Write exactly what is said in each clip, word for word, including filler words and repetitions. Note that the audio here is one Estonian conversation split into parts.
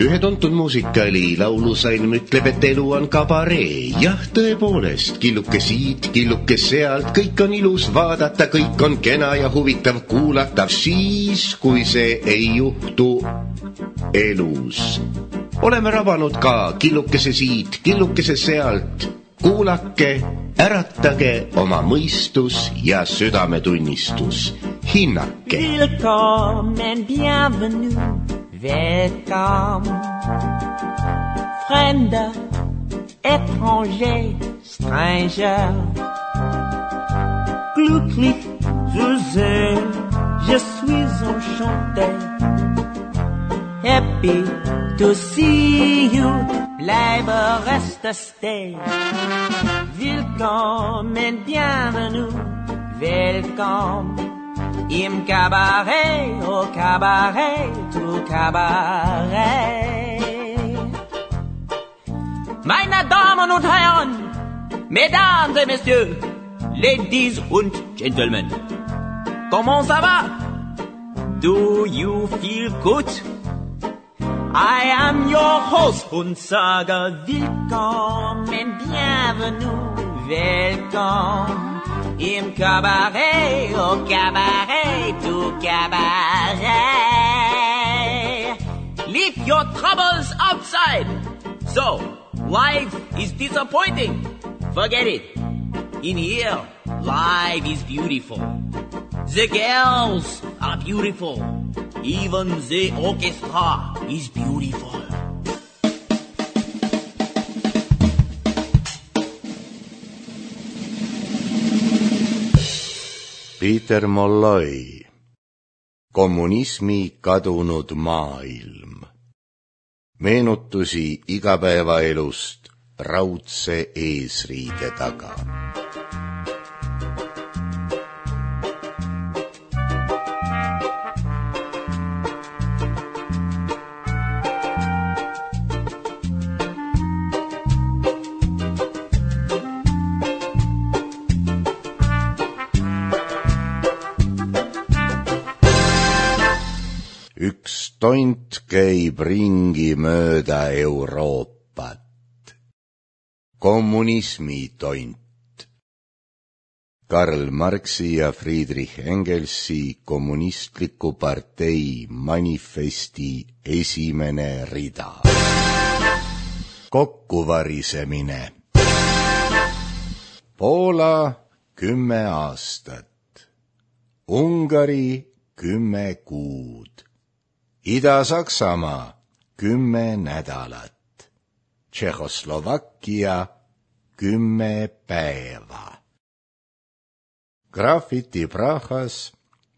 Ühe tuntud muusikali laulusalm ütleb, et elu on kabaree. Jah, tõepoolest, killuke siit, killuke sealt, kõik on ilus vaadata, kõik on kena ja huvitav kuulatav siis, kui see ei juhtu elus. Oleme rabanud ka killukese siit, killukese sealt. Kuulake, äratage oma mõistus ja südametunnistus. Hinnake. Willkommen, bienvenue. Welcome, fremder, étranger, stranger. Glücklich zu sehen, je suis enchanté. Happy to see you, bleibe reste stay. Willkommen, bienvenue, welcome. Im Cabaret, au Cabaret, tout Cabaret. Meine Damen und Herren, Mesdames et Messieurs, Ladies und Gentlemen, comment ça va? Do you feel good? I am your host und sage willkommen, bienvenue, welcome. Im Cabaret, au Cabaret, tout Cabaret. Leave your troubles outside. So, life is disappointing. Forget it. In here, life is beautiful. The girls are beautiful. Even the orchestra is beautiful. Peter Molloy, Kommunismi kadunud maailm. Meenutusi igapäevaelust raudse eesriide taga. Üks tont käib ringi mööda Euroopat. Kommunismi tont. Karl Marxi ja Friedrich Engelsi kommunistliku partei manifesti esimene rida. Kokkuvarisemine. Poola kümme aastat. Ungari kümme kuud. Ida-Saksamaa kümme nädalat, Tšehhoslovakkia kümme päeva. Graffiti Prahas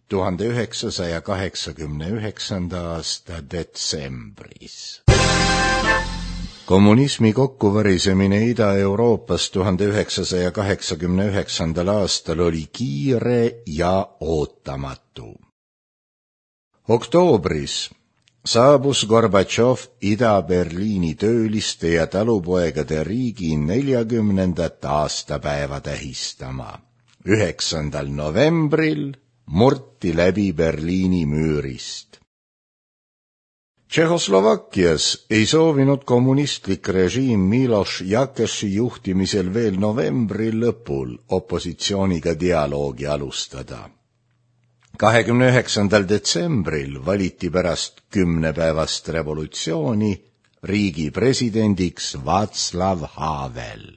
tuhande üheksasaja kaheksakümne üheksanda aasta detsembris. Kommunismi kokkuvarisemine Ida-Euroopas tuhande üheksasaja kaheksakümne üheksandal aastal oli kiire ja ootamatu. Oktoobris saabus Gorbatšov Ida-Berliini tööliste ja talupoegade riigi neljakümnendat aastapäeva tähistama. üheksandal novembril murti läbi Berliini müürist. Tšehhoslovakkias ei soovinud kommunistlik režiim Miloš Jakeši juhtimisel veel novembri lõpul opositsiooniga dialoogi alustada. kahekümne üheksandal detsembril valiti pärast kümnepäevast revolutsiooni riigi presidendiks Václav Havel.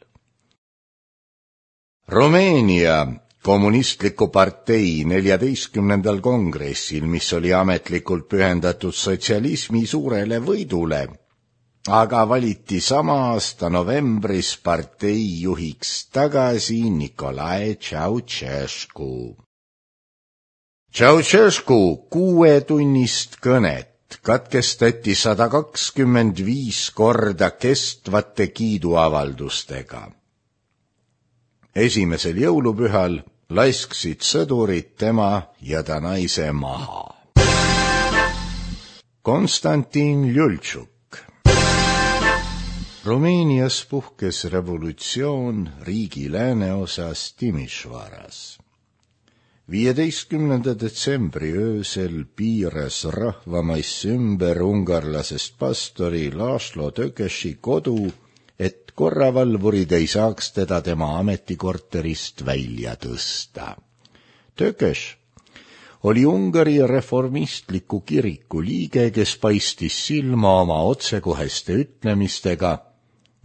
Rumeenia kommunistliku partei neljateistkümnendal kongressil, mis oli ametlikult pühendatud sotsialismi suurele võidule, aga valiti sama aasta novembris partei juhiks tagasi Nikolai Ceausescu. Ceausescu kuuetunnist kõnet katkestati sada kakskümmend viis korda kestvate kiiduavaldustega. Esimesel jõulupühal lasksid sõdurid tema ja ta naise maha. Konstantin Ljultšuk. Rumeenias puhkes revolutsioon riigi lääneosas Timišvaras. viieteistkümnenda detsembri öösel piiras rahvamaiss ümber ungarlasest pastori László Tökösi kodu, et korravalvurid ei saaks teda tema ametikorterist välja tõsta. Tököš oli Ungari reformistliku kiriku liige, kes paistis silma oma otsekoheste ütlemistega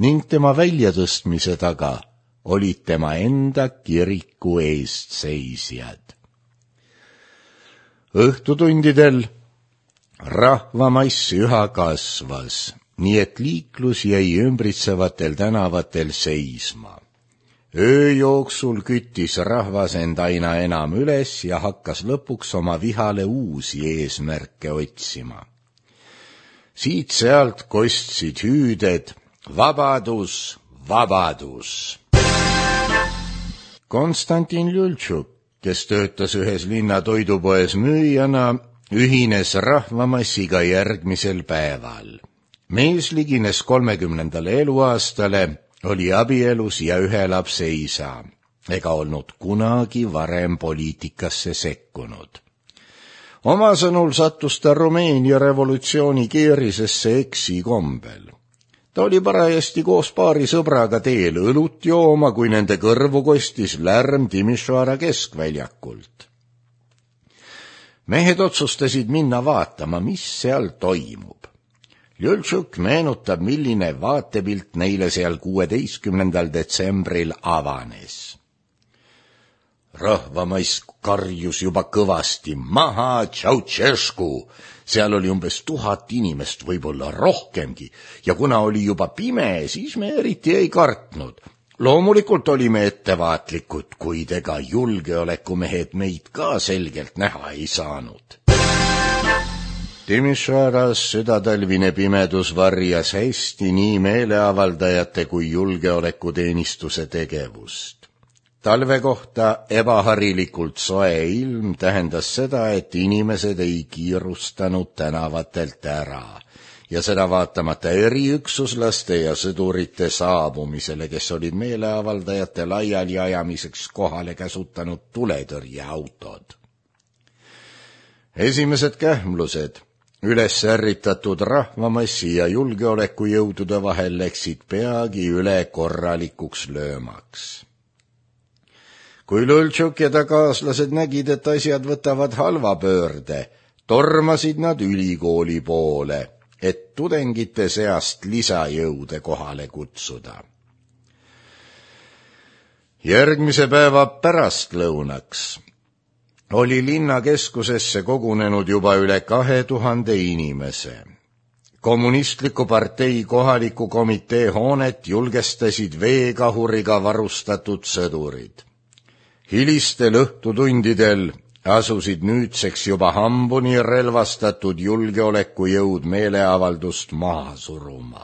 ning tema väljatõstmise taga olid tema enda kiriku eestseisjad. Õhtutundidel rahvamaiss üha kasvas, nii et liiklus jäi ümbritsevatel tänavatel seisma. Öö jooksul küttis rahvas end aina enam üles ja hakkas lõpuks oma vihale uusi eesmärke otsima. Siit-sealt kostsid hüüded vabadus, vabadus. Konstantin Ljultšuk, kes töötas ühes linna toidupoes müüjana, ühines rahvamassiga järgmisel päeval. Mees ligines kolmekümnendale eluaastale, oli abielus ja ühe lapse isa, ega olnud kunagi varem poliitikasse sekkunud. Oma sõnul sattus ta Rumeenia revolutsiooni keerisesse eksikombel. Ta oli parajasti koos paari sõbraga teel õlut jooma, kui nende kõrvu kostis lärm Timisoara keskväljakult. Mehed otsustasid minna vaatama, mis seal toimub. Ljultšuk meenutab, milline vaatepilt neile seal kuueteistkümnendal detsembril avanes. Rahvamaiss karjus juba kõvasti, maha Tšautšesku! Seal oli umbes tuhat inimest, võib-olla rohkemgi, ja kuna oli juba pime, siis me eriti ei kartnud. Loomulikult olime ettevaatlikud, kuid ega julgeolekumehed meid ka selgelt näha ei saanud. Timisoaras südatalvine pimedus varjas hästi nii meeleavaldajate kui julgeolekuteenistuse tegevust. Talve kohta ebaharilikult soe ilm tähendas seda, et inimesed ei kiirustanud tänavatelt ära ja seda vaatamata eriüksuslaste ja sõdurite saabumisele, kes olid meeleavaldajate laiali ajamiseks kohale käsutanud tuletõrjeautod. Esimesed kähmlused üles ärritatud rahvamassi ja julgeolekujõudude vahel läksid peagi üle korralikuks löömaks. Kui Ljultšuk ja ta kaaslased nägid, et asjad võtavad halva pöörde, tormasid nad ülikooli poole, et tudengite seast lisajõude kohale kutsuda. Järgmise päeva pärastlõunaks oli linnakeskusesse kogunenud juba üle kahe tuhande inimese. Kommunistliku partei kohaliku komitee hoonet julgestasid veekahuriga varustatud sõdurid. Hilistel õhtutundidel asusid nüüdseks juba hambuni relvastatud julgeolekujõud meeleavaldust maha suruma.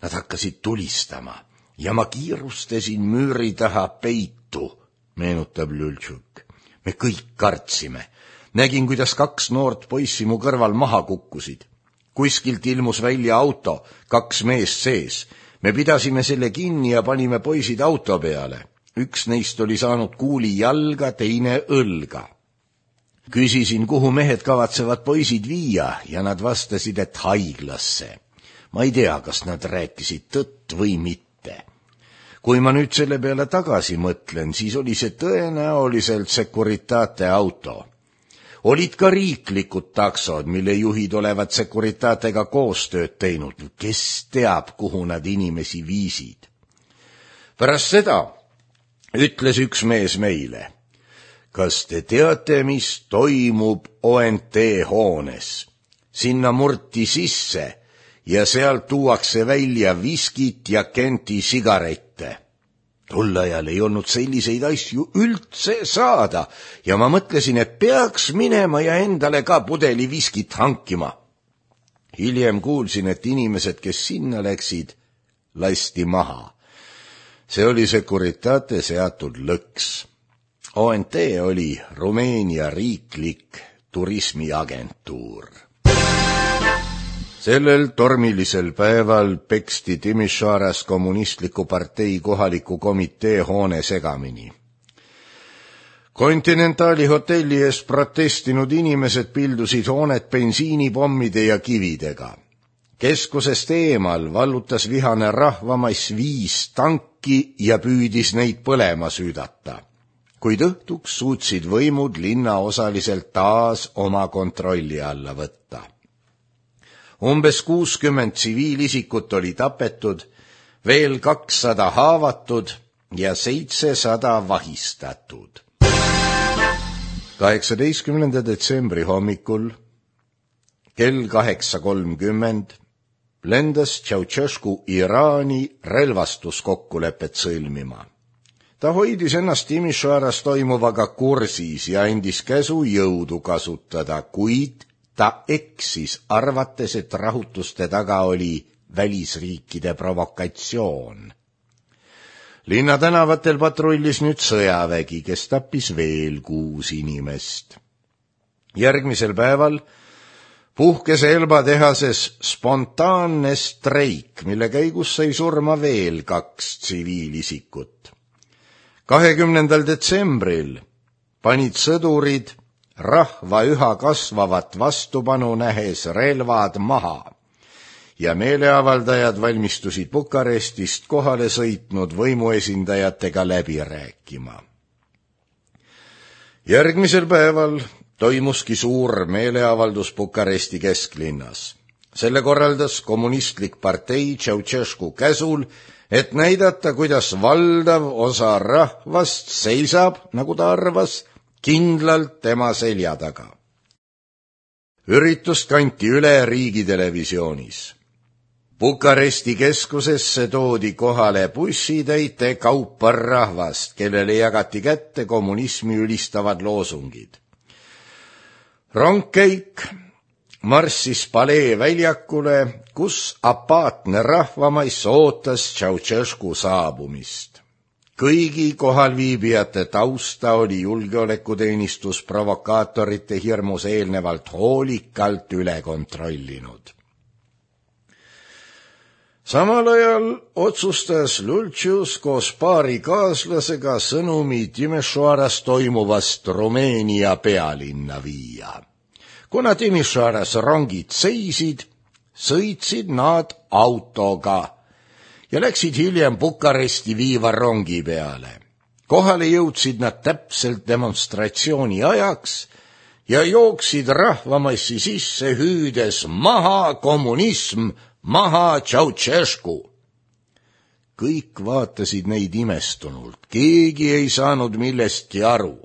Nad hakkasid tulistama ja ma kiirustasin müüri taha peitu, meenutab Ljultšuk. Me kõik kartsime. Nägin, kuidas kaks noort poissi mu kõrval maha kukkusid. Kuskilt ilmus välja auto, kaks meest sees. Me pidasime selle kinni ja panime poisid auto peale. Üks neist oli saanud kuuli jalga, teine õlga. Küsisin, kuhu mehed kavatsevad poisid viia ja nad vastasid, et haiglasse. Ma ei tea, kas nad rääkisid tõtt või mitte. Kui ma nüüd selle peale tagasi mõtlen, siis oli see tõenäoliselt Securitate auto. Olid ka riiklikud taksod, mille juhid olevat Securitatega koostööd teinud. Kes teab, kuhu nad inimesi viisid? Pärast seda ütles üks mees meile, kas te teate, mis toimub O N T hoones? Sinna murti sisse ja sealt tuuakse välja viskit ja Kenti sigarette. Tol ajal ei olnud selliseid asju üldse saada ja ma mõtlesin, et peaks minema ja endale ka pudeli viskit hankima. Hiljem kuulsin, et inimesed, kes sinna läksid, lasti maha. See oli Securitate seatud lõks. O N T oli Rumeenia riiklik turismiagentuur. Sellel tormilisel päeval peksti Timisoaras kommunistliku partei kohaliku komitee hoone segamini. Kontinentaali hotelli ees protestinud inimesed pildusid hoonet bensiinipommide ja kividega. Keskusest eemal vallutas vihane rahvamass viis tanki ja püüdis neid põlema süüdata. Kuid õhtuks suutsid võimud linna osaliselt taas oma kontrolli alla võtta. Umbes kuuskümmend tsiviilisikut oli tapetud, veel kakssada haavatud ja seitsesada vahistatud. kaheksateistkümnenda detsembri hommikul kell kaheksa kolmkümmend lendas Ceausescu Iraani relvastuskokkulepet sõlmima. Ta hoidis ennast Timisoaras toimuvaga kursis ja andis käsu jõudu kasutada, kuid ta eksis, arvates, et rahutuste taga oli välisriikide provokatsioon. Linna tänavatel patrullis nüüd sõjavägi, kes tappis veel kuus inimest. Järgmisel päeval puhkes Elba tehases spontaanne streik, mille käigus sai surma veel kaks tsiviilisikut. kahekümnendal detsembril panid sõdurid rahva üha kasvavat vastupanu nähes relvad maha ja meeleavaldajad valmistusid Bukarestist kohale sõitnud võimuesindajatega läbi rääkima. Järgmisel päeval toimuski suur meeleavaldus Bukaresti kesklinnas. Selle korraldas kommunistlik partei Ceausescu käsul, et näidata, kuidas valdav osa rahvast seisab, nagu ta arvas, kindlalt tema selja taga. Üritust kanti üle riigitelevisioonis. Bukaresti keskusesse toodi kohale bussitäite kaupa rahvast, kellele jagati kätte kommunismi ülistavad loosungid. Rongkäik marssis Palee väljakule, kus apaatne rahvamaiss ootas Ceausescu saabumist. Kõigi kohalviibijate tausta oli julgeolekuteenistus provokaatorite hirmus eelnevalt hoolikalt üle kontrollinud. Samal ajal otsustas Lulcius koos paari kaaslasega sõnumi Timisoaras toimuvast Rumeenia pealinna viia. Kuna Timisoaras rongid seisid, sõitsid nad autoga ja läksid hiljem Bukaresti viiva rongi peale. Kohale jõudsid nad täpselt demonstratsiooni ajaks ja jooksid rahvamassi sisse hüüdes maha kommunism, maha Ceausescu. Kõik vaatasid neid imestunult, keegi ei saanud millestki aru.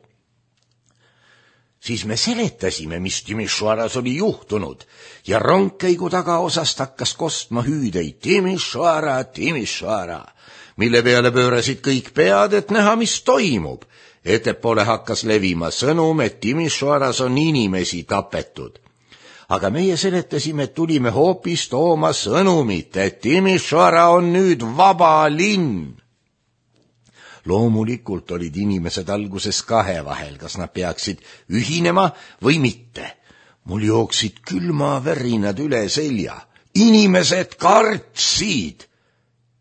Siis me seletasime, mis Timisoaras oli juhtunud ja rongkäigu tagaosast hakkas kostma hüüdeid Timisoara, Timisoara, mille peale pöörasid kõik pead, et näha, mis toimub. Ettepoole hakkas levima sõnum, et Timisoaras on inimesi tapetud. Aga meie seletasime, et tulime hoopis tooma sõnumit, et Timisoara on nüüd vaba linn. Loomulikult olid inimesed alguses kahe vahel, kas nad peaksid ühinema või mitte. Mul jooksid külmavärinad üle selja. Inimesed kartsid.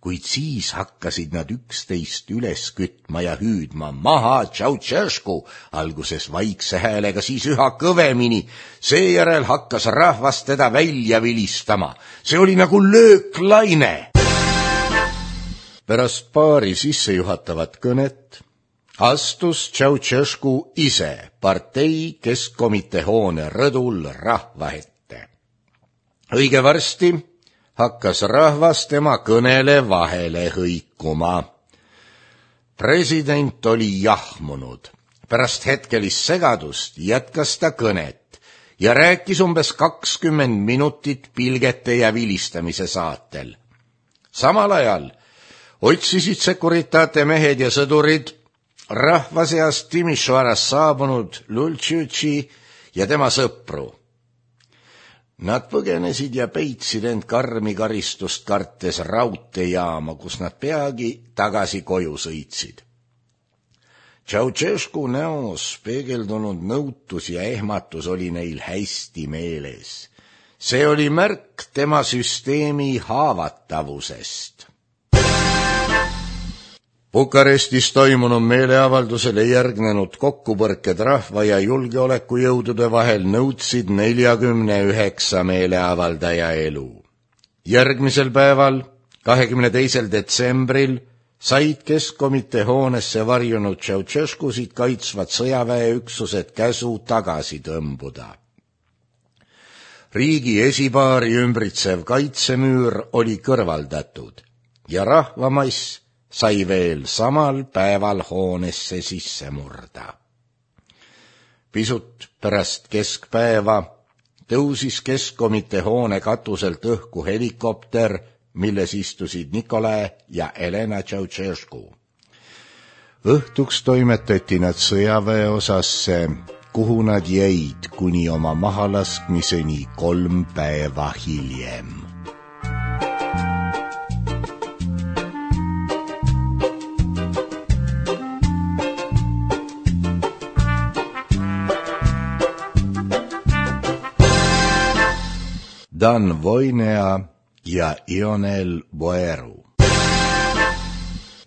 Kuid siis hakkasid nad üksteist üles kütma ja hüüdma maha Ceausescu, alguses vaikse häälega, siis üha kõvemini. Seejärel hakkas rahvas teda välja vilistama. See oli nagu lööklaine. Pärast paari sissejuhatavat kõnet astus Ceausescu ise partei keskkomitee hoone rõdul rahva ette. Õige varsti hakkas rahvas tema kõnele vahele hõikuma. President oli jahmunud. Pärast hetkelist segadust jätkas ta kõnet ja rääkis umbes kakskümmend minutit pilgete ja vilistamise saatel. Samal ajal otsisid Securitate mehed ja sõdurid rahva seast Timisoaras saabunud Lulciusi ja tema sõpru. Nad põgenesid ja peitsid end karmi karistust kartes raudteejaama, kus nad peagi tagasi koju sõitsid. Ceausescu näos peegeldunud nõutus ja ehmatus oli neil hästi meeles. See oli märk tema süsteemi haavatavusest. Bukarestis toimunud meeleavaldusele järgnenud kokkupõrked rahva ja julgeolekujõudude vahel nõudsid neljakümne üheksa meeleavaldaja elu. Järgmisel päeval, kahekümne teisel detsembril, said Keskkomitee hoonesse varjunud Ceausescusid kaitsvad sõjaväeüksused käsu tagasi tõmbuda. Riigi esipaari ümbritsev kaitsemüür oli kõrvaldatud ja rahvamass sai veel samal päeval hoonesse sisse murda. Pisut pärast keskpäeva tõusis Keskkomitee hoone katuselt õhku helikopter, milles istusid Nikolai ja Elena Ceausescu. Õhtuks toimetati nad sõjaväeosasse, kuhu nad jäid kuni oma mahalaskmiseni kolm päeva hiljem. Dan Voinea ja Ionel Boeru.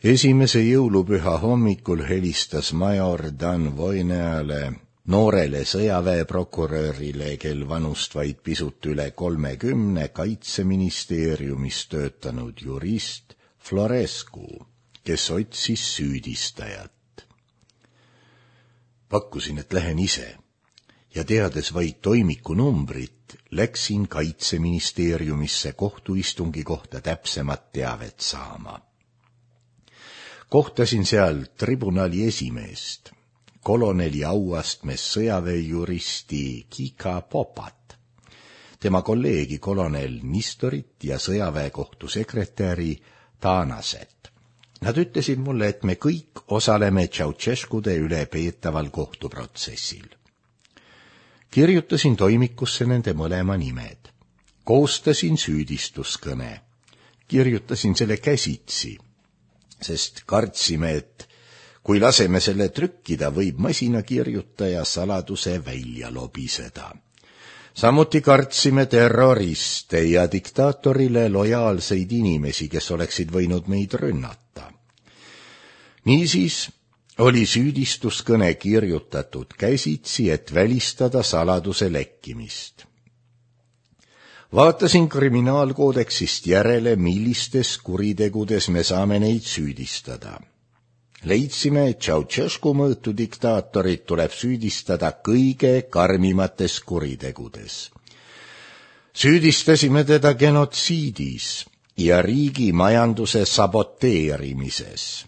Esimese jõulupüha hommikul helistas major Dan Voineale, noorele sõjaväeprokurörile, kel vanust vaid pisut üle kolmekümne, Kaitseministeeriumis töötanud jurist Florescu, kes otsis süüdistajat. Pakkusin, et lähen ise ja teades vaid toimiku numbrit, läksin Kaitseministeeriumisse kohtuistungi kohta täpsemat teavet saama. Kohtasin seal tribunali esimeest, koloneli auastmes sõjaväejuristi Kika Popat, tema kolleegi kolonel Nistorit ja sõjaväekohtu sekretäri Tanaset. Nad ütlesid mulle, et me kõik osaleme Ceausescude üle peetaval kohtuprotsessil. Kirjutasin toimikusse nende mõlema nimed. Koostasin süüdistuskõne. Kirjutasin selle käsitsi, sest kartsime, et kui laseme selle trükkida, võib masinakirjutaja saladuse välja lobiseda. Samuti kartsime terroriste ja diktaatorile lojaalseid inimesi, kes oleksid võinud meid rünnata. Niisiis oli süüdistuskõne kirjutatud käsitsi, et välistada saladuse lekkimist. Vaatasin kriminaalkoodeksist järele, millistes kuritegudes me saame neid süüdistada. Leidsime, et Ceausescu mõõtu diktaatorit tuleb süüdistada kõige karmimates kuritegudes. Süüdistasime teda genotsiidis ja riigi majanduse saboteerimises.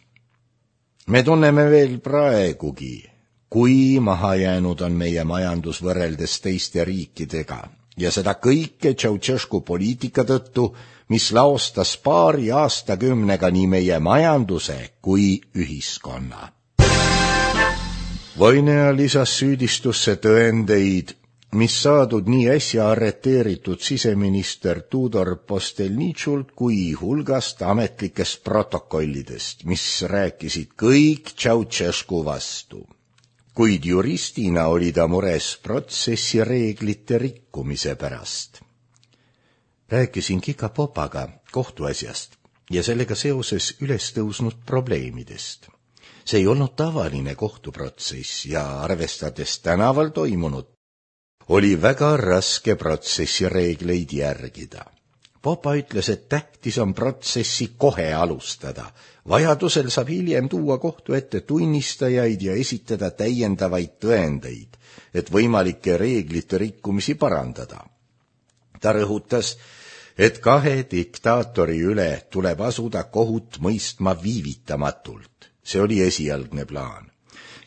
Me tunneme veel praegugi, kui mahajäänud on meie majandus võrreldes teiste riikidega ja seda kõike Ceausescu poliitika tõttu, mis laostas paari aastakümnega nii meie majanduse kui ühiskonna. Voinea lisas süüdistusse tõendeid, mis saadud nii äsja arreteeritud siseminister Tudor Postelničult kui hulgast ametlikest protokollidest, mis rääkisid kõik Ceausescu vastu. Kuid juristina oli ta mures protsessi reeglite rikkumise pärast. Rääkisin Kika Popaga kohtuasjast ja sellega seoses üles tõusnud probleemidest. See ei olnud tavaline kohtuprotsess ja arvestades tänaval toimunut, oli väga raske protsessi reegleid järgida. Popa ütles, et tähtis on protsessi kohe alustada. Vajadusel saab hiljem tuua kohtu ette tunnistajaid ja esitada täiendavaid tõendeid, et võimalikke reeglite rikkumisi parandada. Ta rõhutas, et kahe diktaatori üle tuleb asuda kohut mõistma viivitamatult. See oli esialgne plaan.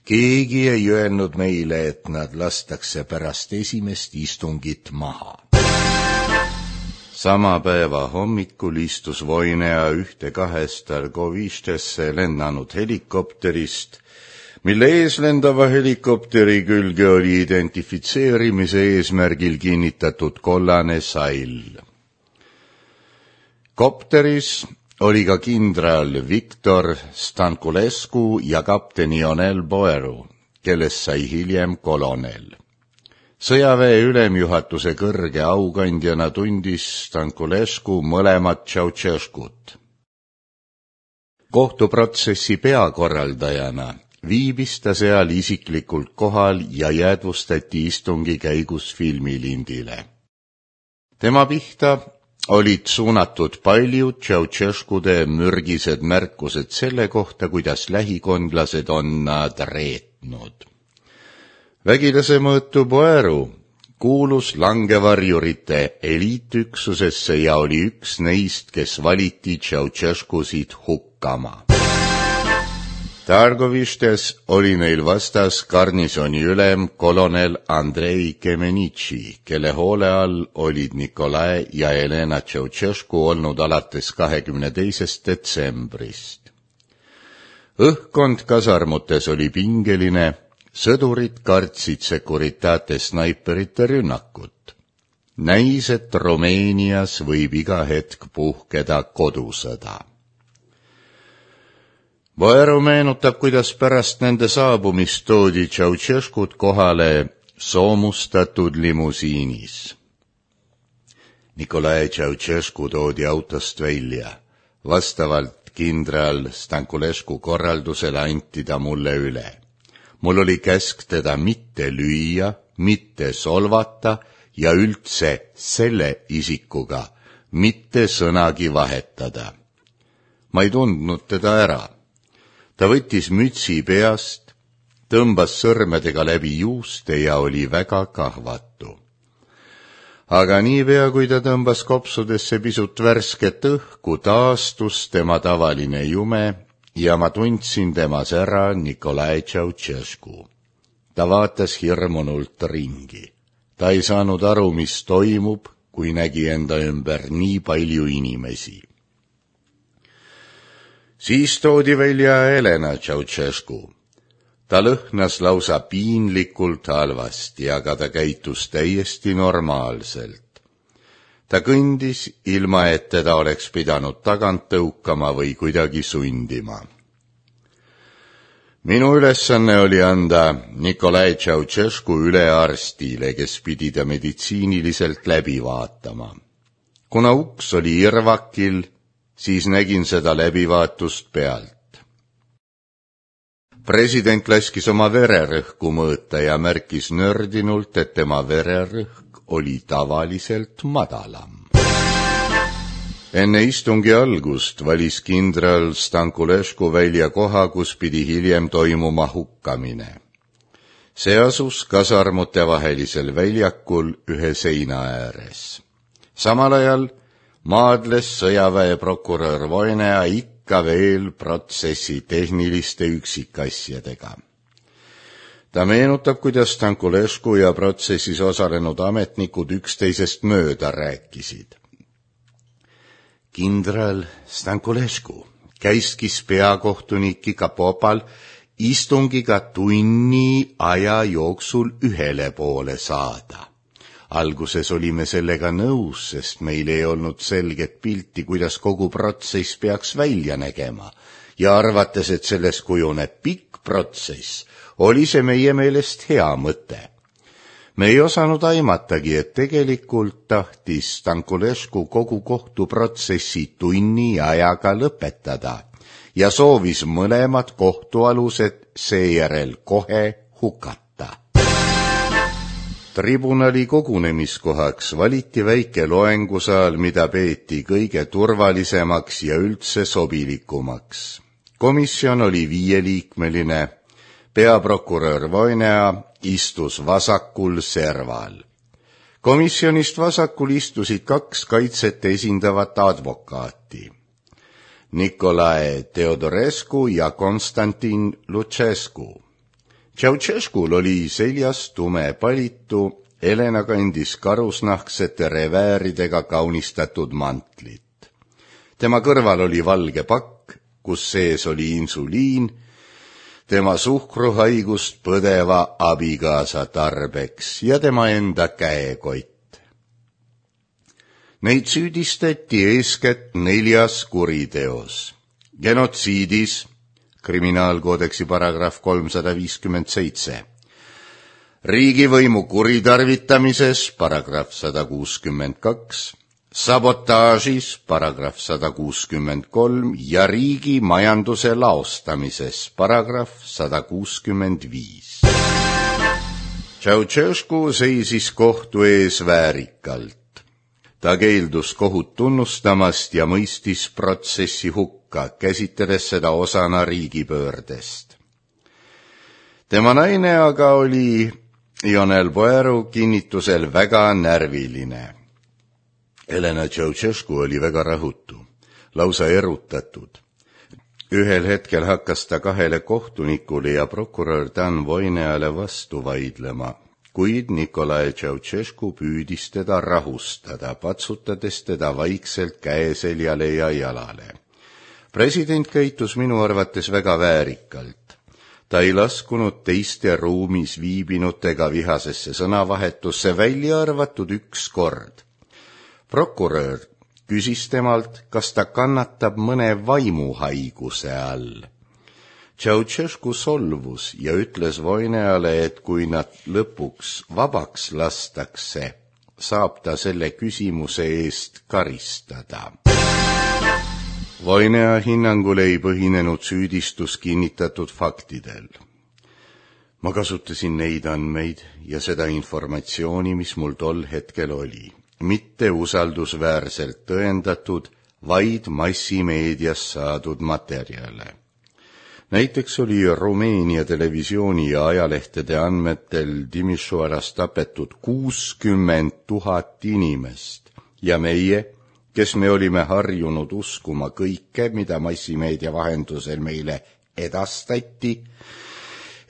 Keegi ei öelnud meile, et nad lastakse pärast esimest istungit maha. Sama päeva hommikul istus Voinea ühte kahest Targovistesse lennanud helikopterist, mille eeslendava helikopteri külge oli identifitseerimise eesmärgil kinnitatud kollane sall. Kopteris oli ka kindral Viktor Stankulescu ja kapten Ionel Boeru, kellest sai hiljem kolonel. Sõjaväe ülemjuhatuse kõrge aukandjana tundis Stankulescu mõlemat Ceausescut. Kohtuprotsessi peakorraldajana viibis ta seal isiklikult kohal ja jäädvustati istungi käigus filmilindile. Tema pihta olid suunatud paljud Ceausescude mürgised märkused selle kohta, kuidas lähikondlased on nad reetnud. Vägilase mõõtu Boeru kuulus langevarjurite eliitüksusesse ja oli üks neist, kes valiti Ceausescusid hukkama. Targovistes oli neil vastas garnisoni ülem kolonel Andrei Kemenitši, kelle hoole all olid Nikolai ja Elena Ceausescu olnud alates kahekümne teisest detsembrist. Õhkkond kasarmutes oli pingeline, sõdurid kartsid Securitate snaiperite rünnakut. Näis, et Rumeenias võib iga hetk puhkeda kodusõda. Boeru meenutab, kuidas pärast nende saabumist toodi Ceausescud kohale soomustatud limusiinis. Nikolai Ceausescu toodi autost välja. Vastavalt kindral Stankulescu korraldusele anti ta mulle üle. Mul oli käsk teda mitte lüüa, mitte solvata ja üldse selle isikuga mitte sõnagi vahetada. Ma ei tundnud teda ära. Ta võttis mütsi peast, tõmbas sõrmedega läbi juuste ja oli väga kahvatu. Aga niipea, kui ta tõmbas kopsudesse pisut värsket õhku, taastus tema tavaline jume ja ma tundsin temas ära Nikolai Ceausescu. Ta vaatas hirmunult ringi. Ta ei saanud aru, mis toimub, kui nägi enda ümber nii palju inimesi. Siis toodi välja Elena Ceausescu. Ta lõhnas lausa piinlikult halvasti, aga ta käitus täiesti normaalselt. Ta kõndis, ilma et teda oleks pidanud tagant tõukama või kuidagi sundima. Minu ülesanne oli anda Nikolai Ceausescu üle arstile, kes pidi ta meditsiiniliselt läbi vaatama. Kuna uks oli irvakil, siis nägin seda läbivaatust pealt. President laskis oma vererõhku mõõta ja märkis nördinult, et tema vererõhk oli tavaliselt madalam. Enne istungi algust valis kindral Stankulescu välja koha, kus pidi hiljem toimuma hukkamine. See asus kasarmute vahelisel väljakul ühe seina ääres. Samal ajal maadles sõjaväeprokurör Voinea ikka veel protsessi tehniliste üksikasjadega. Ta meenutab, kuidas Stankulescu ja protsessis osalenud ametnikud üksteisest mööda rääkisid. Kindral Stankulescu käiskis peakohtunik Ikapopal istungiga tunni aja jooksul ühele poole saada. Alguses olime sellega nõus, sest meil ei olnud selget pilti, kuidas kogu protsess peaks välja nägema, ja arvates, et sellest kujuneb pikk protsess, oli see meie meelest hea mõte. Me ei osanud aimatagi, et tegelikult tahtis Stankulescu kogu kohtuprotsessi tunni ajaga lõpetada ja soovis mõlemad kohtualused seejärel kohe hukata. Tribunali kogunemiskohaks valiti väike loengusaal, mida peeti kõige turvalisemaks ja üldse sobilikumaks. Komisjon oli viieliikmeline, peaprokurör Voinea istus vasakul serval. Komisjonist vasakul istusid kaks kaitset esindavat advokaati. Nikolai Teodorescu ja Konstantin Lucescu. Ceausescul oli seljas tume palitu, Elena kandis karusnahksete revääridega kaunistatud mantlit. Tema kõrval oli valge pakk, kus sees oli insuliin, tema suhkruhaigust põdeva abikaasa tarbeks ja tema enda käekott. Neid süüdistati eeskätt neljas kuriteos: genotsiidis, kriminaalkoodeksi paragrahv kolmsada viiskümmend seitse, riigivõimu kuritarvitamises, paragrahv sada kuuskümmend kaks, sabotaažis paragrahv sada kuuskümmend kolm ja riigi majanduse laostamises paragrahv sada kuuskümmend viis. Ceausescu seisis kohtu ees väärikalt. Ta keeldus kohut tunnustamast ja mõistis protsessi hukka, käsitledes seda osana riigipöördest. Tema naine aga oli Ionel Boeru kinnitusel väga närviline. Elena Ceausescu oli väga rahutu, lausa erutatud. Ühel hetkel hakkas ta kahele kohtunikule ja prokurör Dan Voineale vastu vaidlema, kuid Nicolae Ceausescu püüdis teda rahustada, patsutades teda vaikselt käeseljale ja jalale. President käitus minu arvates väga väärikalt. Ta ei laskunud teiste ruumis viibinutega vihasesse sõnavahetusse, välja arvatud üks kord. Prokurör küsis temalt, kas ta kannatab mõne vaimuhaiguse all. Ceausescu solvus ja ütles Voineale, et kui nad lõpuks vabaks lastakse, saab ta selle küsimuse eest karistada. Voinea hinnangul ei põhinenud süüdistus kinnitatud faktidel. Ma kasutasin neid andmeid ja seda informatsiooni, mis mul tol hetkel oli. Mitte usaldusväärselt tõendatud, vaid massimeedias saadud materjale. Näiteks oli Rumeenia televisiooni ja ajalehtede andmetel Timisoaras tapetud kuuskümmend tuhat inimest ja meie, kes me olime harjunud uskuma kõike, mida massimeedia vahendusel meile edastati,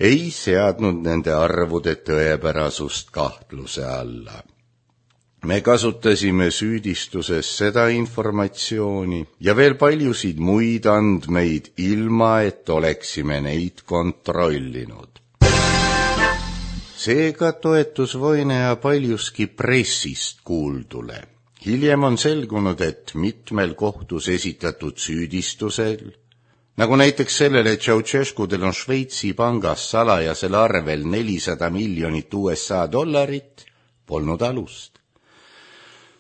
ei seadnud nende arvude tõepärasust kahtluse alla. Me kasutasime süüdistuses seda informatsiooni ja veel paljusid muid andmeid, ilma et oleksime neid kontrollinud. Seega toetus Voinea paljuski pressist kuuldule. Hiljem on selgunud, et mitmel kohtus esitatud süüdistusel, nagu näiteks sellele, et Ceausescudel on Šveitsi pangas salajasel arvel nelisada miljonit U S A dollarit, polnud alust.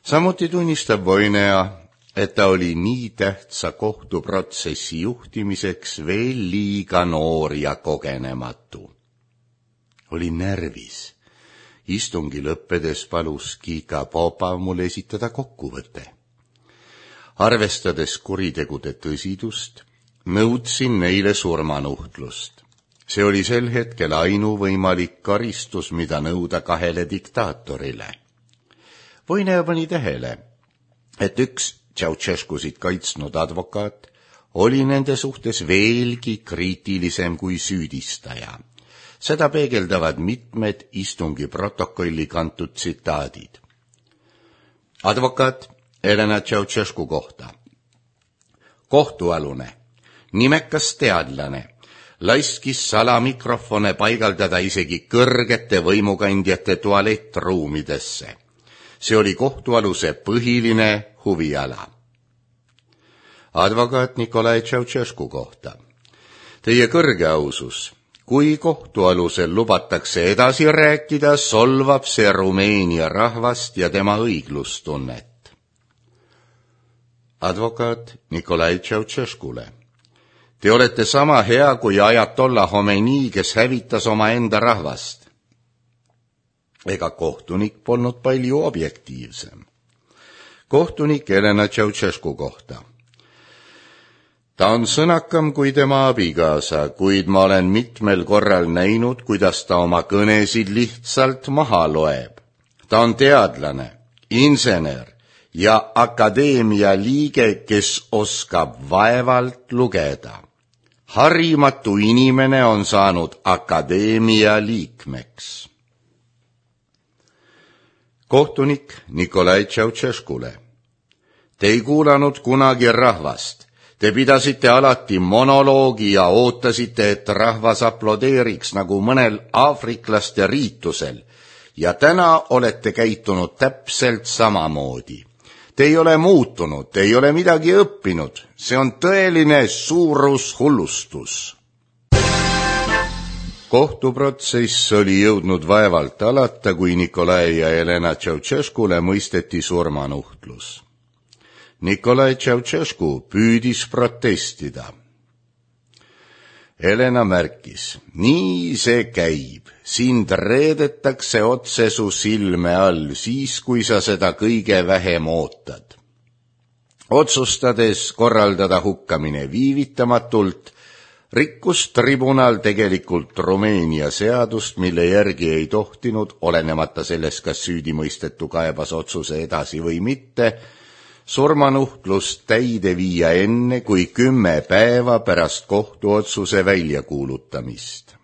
Samuti tunnistab Voinea, et ta oli nii tähtsa kohtuprotsessi juhtimiseks veel liiga noor ja kogenematu. Oli närvis. Istungi lõppedes palus Kika Popa mul esitada kokkuvõte. Arvestades kuritegude tõsidust, nõudsin neile surmanuhtlust. See oli sel hetkel ainuvõimalik karistus, mida nõuda kahele diktaatorile. Voinea pani tähele, et üks Ceausescusid kaitsnud advokaat oli nende suhtes veelgi kriitilisem kui süüdistaja. Seda peegeldavad mitmed istungi protokolli kantud tsitaadid. Advokaat Elena Ceausescu kohta. Kohtualune, nimekas teadlane, laiskis salamikrofone paigaldada isegi kõrgete võimukandjate tualettruumidesse. See oli kohtualuse põhiline huviala. Advokaat Nicolae Ceausescu kohta. Teie kõrge ausus, kui kohtualusel lubatakse edasi rääkida, solvab see Rumeenia rahvast ja tema õiglustunnet. Advokaat Nicolae Ceausescule. Te olete sama hea kui Ajatollah Khomeini, kes hävitas oma enda rahvast. Ega kohtunik polnud palju objektiivsem. Kohtunik Elena Ceausescu kohta. Ta on sõnakam kui tema abikaasa, kuid ma olen mitmel korral näinud, kuidas ta oma kõnesid lihtsalt maha loeb. Ta on teadlane, insener ja akadeemia liige, kes oskab vaevalt lugeda. Harimatu inimene on saanud akadeemia liikmeks. Kohtunik Nicolae Ceausescule. Te ei kuulanud kunagi rahvast. Te pidasite alati monoloogi ja ootasite, et rahvas aplodeeriks nagu mõnel aafriklaste riitusel. Ja täna olete käitunud täpselt samamoodi. Te ei ole muutunud, te ei ole midagi õppinud. See on tõeline suurushullustus. Kohtuprotsess oli jõudnud vaevalt alata, kui Nicolae ja Elena Ceausescule mõisteti surmanuhtlus. Nikolai Ceausescu püüdis protestida. Helena märkis, nii see käib, sind reedetakse otse su silme all, siis kui sa seda kõige vähem ootad. Otsustades korraldada hukkamine viivitamatult, rikkus tribunal tegelikult Rumeenia seadust, mille järgi ei tohtinud, olenemata sellest, kas süüdimõistetu kaebas otsuse edasi või mitte, surmanuhtlust täide viia enne kui kümme päeva pärast kohtuotsuse väljakuulutamist.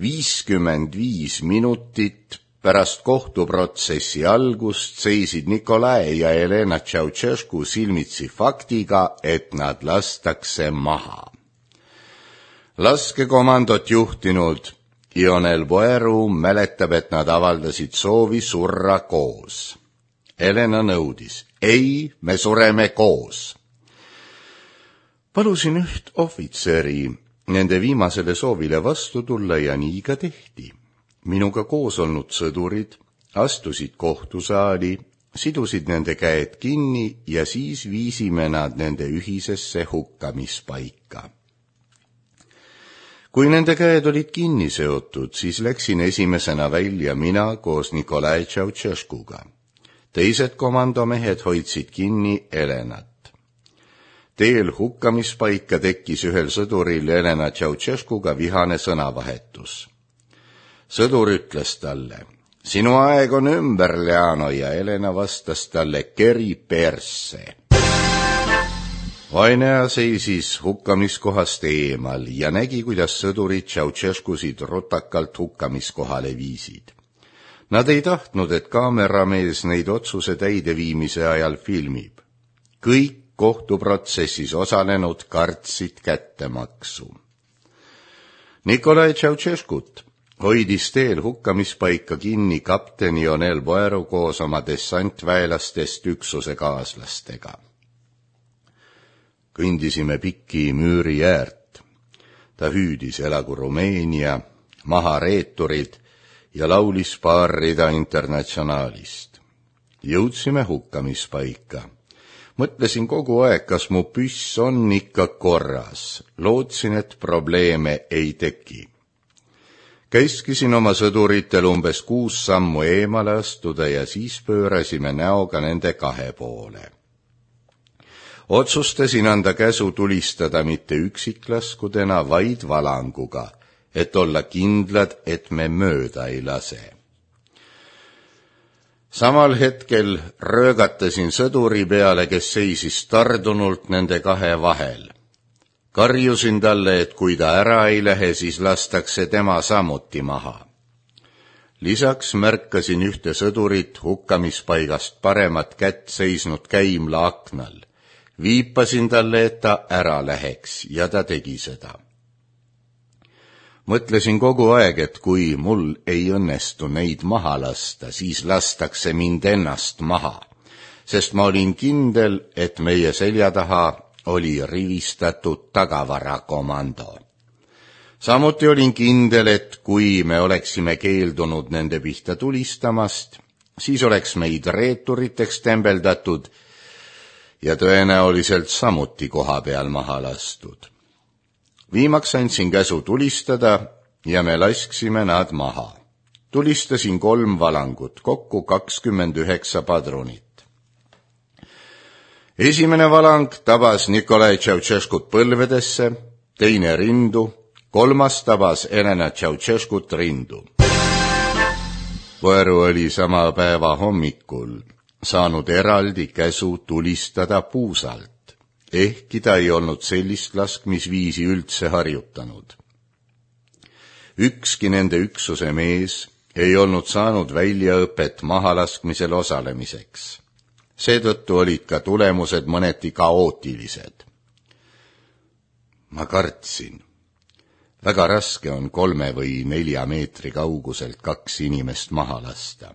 viiskümmend viis minutit pärast kohtuprotsessi algust seisid Nikolai ja Helena Ceausescu silmitsi faktiga, et nad lastakse maha. Laskekomandot juhtinud Ionel Boeru mäletab, et nad avaldasid soovi surra koos. Helena nõudis, ei, me sureme koos. Palusin üht ohvitseri nende viimasele soovile vastu tulla ja nii ka tehti. Minuga koos olnud sõdurid astusid kohtusaali, sidusid nende käed kinni ja siis viisime nad nende ühisesse hukkamispaika. Kui nende käed olid kinni seotud, siis läksin esimesena välja mina koos Nikolai Ceausescuga. Teised komandomehed hoidsid kinni Helenat. Teel hukkamispaika tekkis ühel sõduril Helena Ceausescuga vihane sõnavahetus. Sõdur ütles talle, sinu aeg on ümber, Leano, ja Helena vastas talle, keri persse. Vainea seisis hukkamiskohast eemal ja nägi, kuidas sõdurid Ceausescusid rutakalt hukkamiskohale viisid. Nad ei tahtnud, et kaameramees neid otsuse täideviimise ajal filmib. Kõik kohtuprotsessis osalenud kartsid kättemaksu. Nikolai Ceausescut hoidis teel hukkamispaika kinni kapten Ionel Boeru koos oma dessantväelastest üksuse kaaslastega. Kõndisime pikki müüri äärt. Ta hüüdis elagu Rumeenia, maha reeturid ja laulis paar rida Internatsionaalist. Jõudsime hukkamispaika. Mõtlesin kogu aeg, kas mu püss on ikka korras. Lootsin, et probleeme ei teki. Käiskisin oma sõduritel umbes kuus sammu eemale astuda ja siis pöörasime näoga nende kahe poole. Otsustasin anda käsu tulistada mitte üksiklaskudena, vaid valanguga, et olla kindlad, et me mööda ei lase. Samal hetkel röögatasin sõduri peale, kes seisis tardunult nende kahe vahel. Karjusin talle, et kui ta ära ei lähe, siis lastakse tema samuti maha. Lisaks märkasin ühte sõdurit hukkamispaigast paremat kätt seisnud käimla aknal. Viipasin talle, et ta ära läheks ja ta tegi seda. Mõtlesin kogu aeg, et kui mul ei õnnestu neid maha lasta, siis lastakse mind ennast maha, sest ma olin kindel, et meie selja taha oli rivistatud tagavarakomando. Samuti olin kindel, et kui me oleksime keeldunud nende pihta tulistamast, siis oleks meid reeturiteks tembeldatud ja tõenäoliselt samuti koha peal maha lastud. Viimaks andsin käsu tulistada ja me lasksime nad maha. Tulistasin kolm valangut, kokku kakskümmend üheksa padrunit. Esimene valang tabas Nikolai Ceausescut põlvedesse, teine rindu, kolmas tabas Helena Ceausescut rindu. Boeru oli sama päeva hommikul saanud eraldi käsu tulistada puusalt, ehkki ta ei olnud sellist laskmisviisi üldse harjutanud. Ükski nende üksuse mees ei olnud saanud väljaõpet mahalaskmisel osalemiseks. Seetõttu olid ka tulemused mõneti kaootilised. Ma kartsin. Väga raske on kolme või nelja meetri kauguselt kaks inimest maha lasta.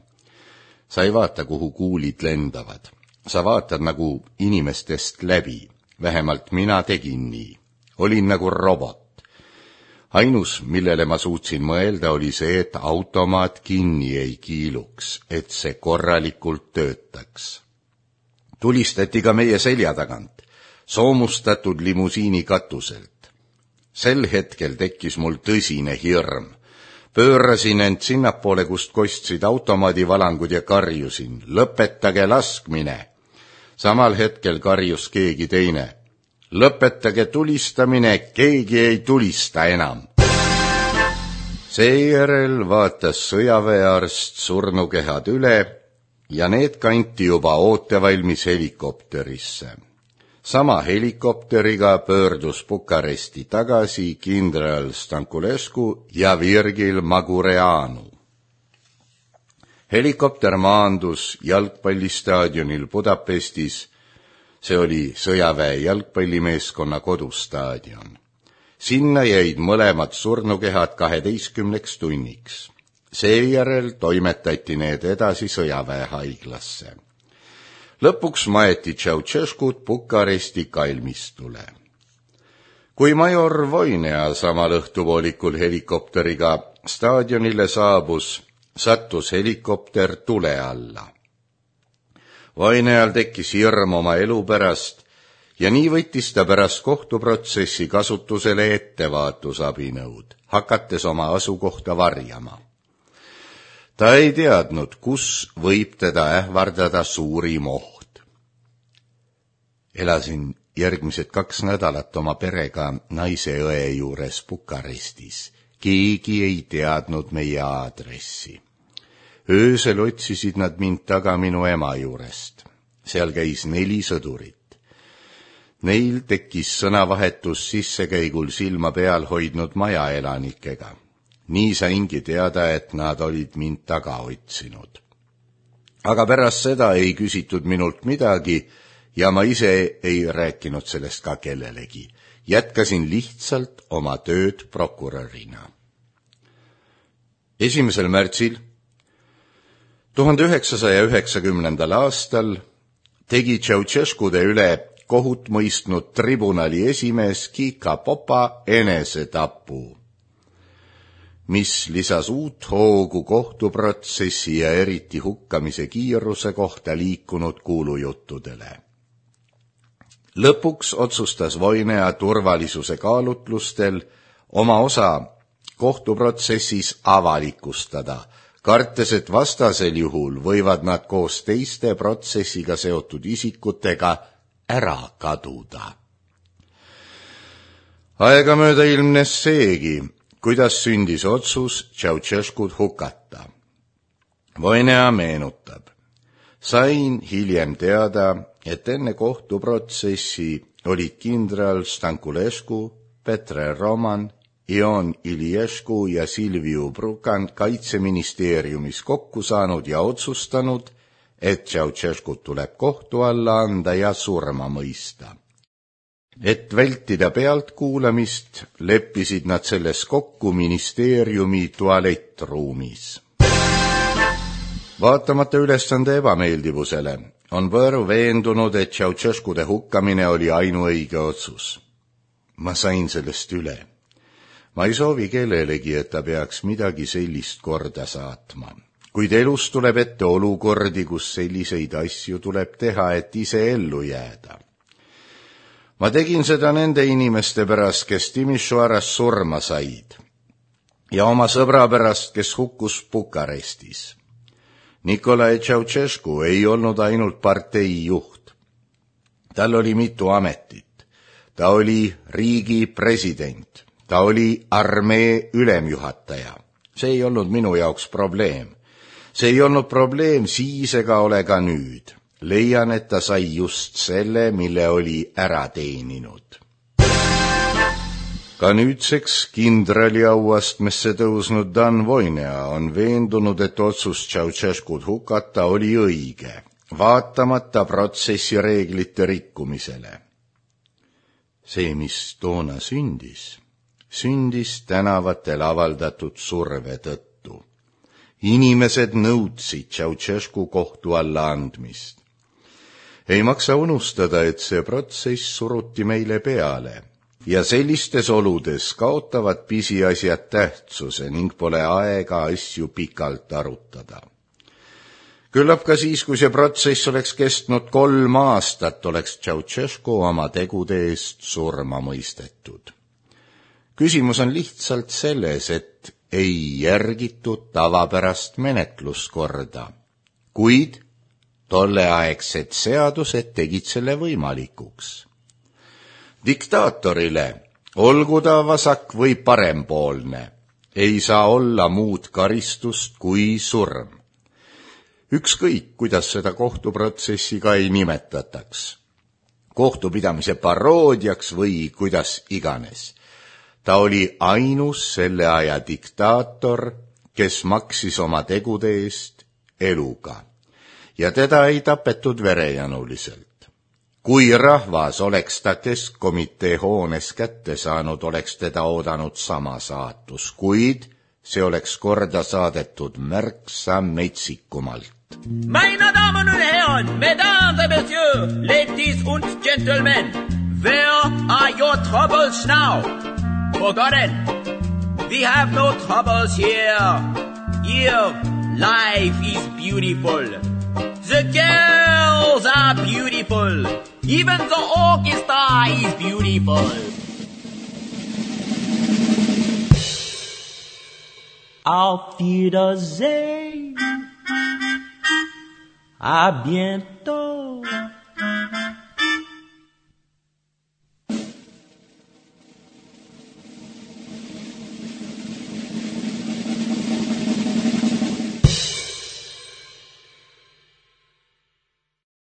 Sa ei vaata, kuhu kuulid lendavad. Sa vaatad nagu inimestest läbi. Vähemalt mina tegin nii. Olin nagu robot. Ainus, millele ma suutsin mõelda, oli see, et automaat kinni ei kiiluks, et see korralikult töötaks. tulistati ka meie selja tagant, soomustatud limusiini katuselt. Sel hetkel tekkis mul tõsine hirm. Pöörasin end sinnapoole, kust kostsid automaadivalangud ja karjusin, lõpetage laskmine. Samal hetkel karjus keegi teine. Lõpetage tulistamine, keegi ei tulista enam. Seejärel vaatas sõjaväearst surnukehad üle ja need kanti juba ootevalmis helikopterisse. Sama helikopteriga pöördus Bukaresti tagasi kindral Stankulescu ja Virgil Magureanu. Helikopter maandus jalgpallistaadionil Budapestis, see oli sõjaväe jalgpallimeeskonna kodustaadion. Sinna jäid mõlemad surnukehad kaheteistkümneks tunniks. Seejärel toimetati need edasi sõjaväehaiglasse. Lõpuks maeti Ceausescut Bukaresti kalmistule. Kui major Voinea samal õhtupoolikul helikopteriga staadionile saabus, sattus helikopter tule alla. Voineal tekkis hirm oma elu pärast ja nii võttis ta pärast kohtuprotsessi kasutusele ettevaatusabinõud, hakates oma asukohta varjama. Ta ei teadnud, kus võib teda ähvardada suurim oht. Elasin järgmised kaks nädalat oma perega naise õe juures Bukarestis. Keegi ei teadnud meie aadressi. Öösel otsisid nad mind taga minu ema juurest. Seal käis neli sõdurit. Neil tekkis sõnavahetus sissekäigul silma peal hoidnud majaelanikega. Nii saingi teada, et nad olid mind taga otsinud. Aga pärast seda ei küsitud minult midagi ja ma ise ei rääkinud sellest ka kellelegi. Jätkasin lihtsalt oma tööd prokurörina. esimesel märtsil tuhande üheksasaja üheksakümnendal aastal tegi Ceausescude üle kohut mõistnud tribunali esimees Kika Popa enesetapu, mis lisas uut hoogu kohtuprotsessi ja eriti hukkamise kiiruse kohta liikunud kuulujuttudele. Lõpuks otsustas Voinea turvalisuse kaalutlustel oma osa kohtuprotsessis avalikustada, kartes, et vastasel juhul võivad nad koos teiste protsessiga seotud isikutega ära kaduda. Aegamööda ilmnes seegi, kuidas sündis otsus Ceausescut hukata. Voinea meenutab. Sain hiljem teada, et enne kohtuprotsessi olid kindral Stankulescu, Petre Roman, Ion Iliescu ja Silviu Brucan kaitseministeeriumis kokku saanud ja otsustanud, et Ceausescut tuleb kohtu alla anda ja surma mõista. Et vältida pealtkuulamist, leppisid nad selles kokku ministeeriumi tualettruumis. Vaatamata ülesande ebameeldivusele on Võõru veendunud, et Ceausescude hukkamine oli ainuõige otsus. Ma sain sellest üle. Ma ei soovi kellelegi, et ta peaks midagi sellist korda saatma. Kuid elus tuleb ette olukordi, kus selliseid asju tuleb teha, et ise ellu jääda. Ma tegin seda nende inimeste pärast, kes Timisoaras surma said, ja oma sõbra pärast, kes hukkus Bukarestis. Nicolae Ceausescu ei olnud ainult partei juht. Tal oli mitu ametit. Ta oli riigi president. Ta oli armee ülemjuhataja. See ei olnud minu jaoks probleem. See ei olnud probleem siis ega ole ka nüüd. Leian, et ta sai just selle, mille oli ära teeninud. Ka nüüdseks kindrali auastmesse tõusnud Dan Voinea on veendunud, et otsus Ceausescut hukata oli õige, vaatamata protsessi reeglite rikkumisele. See, mis toona sündis, sündis tänavatel avaldatud surve tõttu. Inimesed nõudsid Ceausescu kohtu alla andmist. Ei maksa unustada, et see protsess suruti meile peale ja sellistes oludes kaotavad pisiasjad tähtsuse ning pole aega asju pikalt arutada. Küllap ka siis, kui see protsess oleks kestnud kolm aastat, oleks Ceausescu oma tegude eest surma mõistetud. Küsimus on lihtsalt selles, et ei järgitud tavapärast menetluskorda, kuid tolleaegsed seadused tegid selle võimalikuks. Diktaatorile, olgu ta vasak või parempoolne, ei saa olla muud karistust kui surm. Ükskõik, kuidas seda kohtuprotsessi ka ei nimetataks. Kohtupidamise paroodiaks või kuidas iganes. Ta oli ainus selle aja diktaator, kes maksis oma tegude eest eluga. Ja teda ei tapetud verejanuliselt. Kui rahvas oleks ta keskkomitee hoones kätte saanud, oleks teda oodanud sama saatus, kuid see oleks korda saadetud märksa metsikumalt. Meine Damen und Herren, Mesdames et Messieurs, Ladies und Gentlemen, where are your troubles now? Forgotten, we have no troubles here. Here, life is beautiful. The girls are beautiful. Even the orchestra is beautiful. Auf Wiedersehen. À bientôt.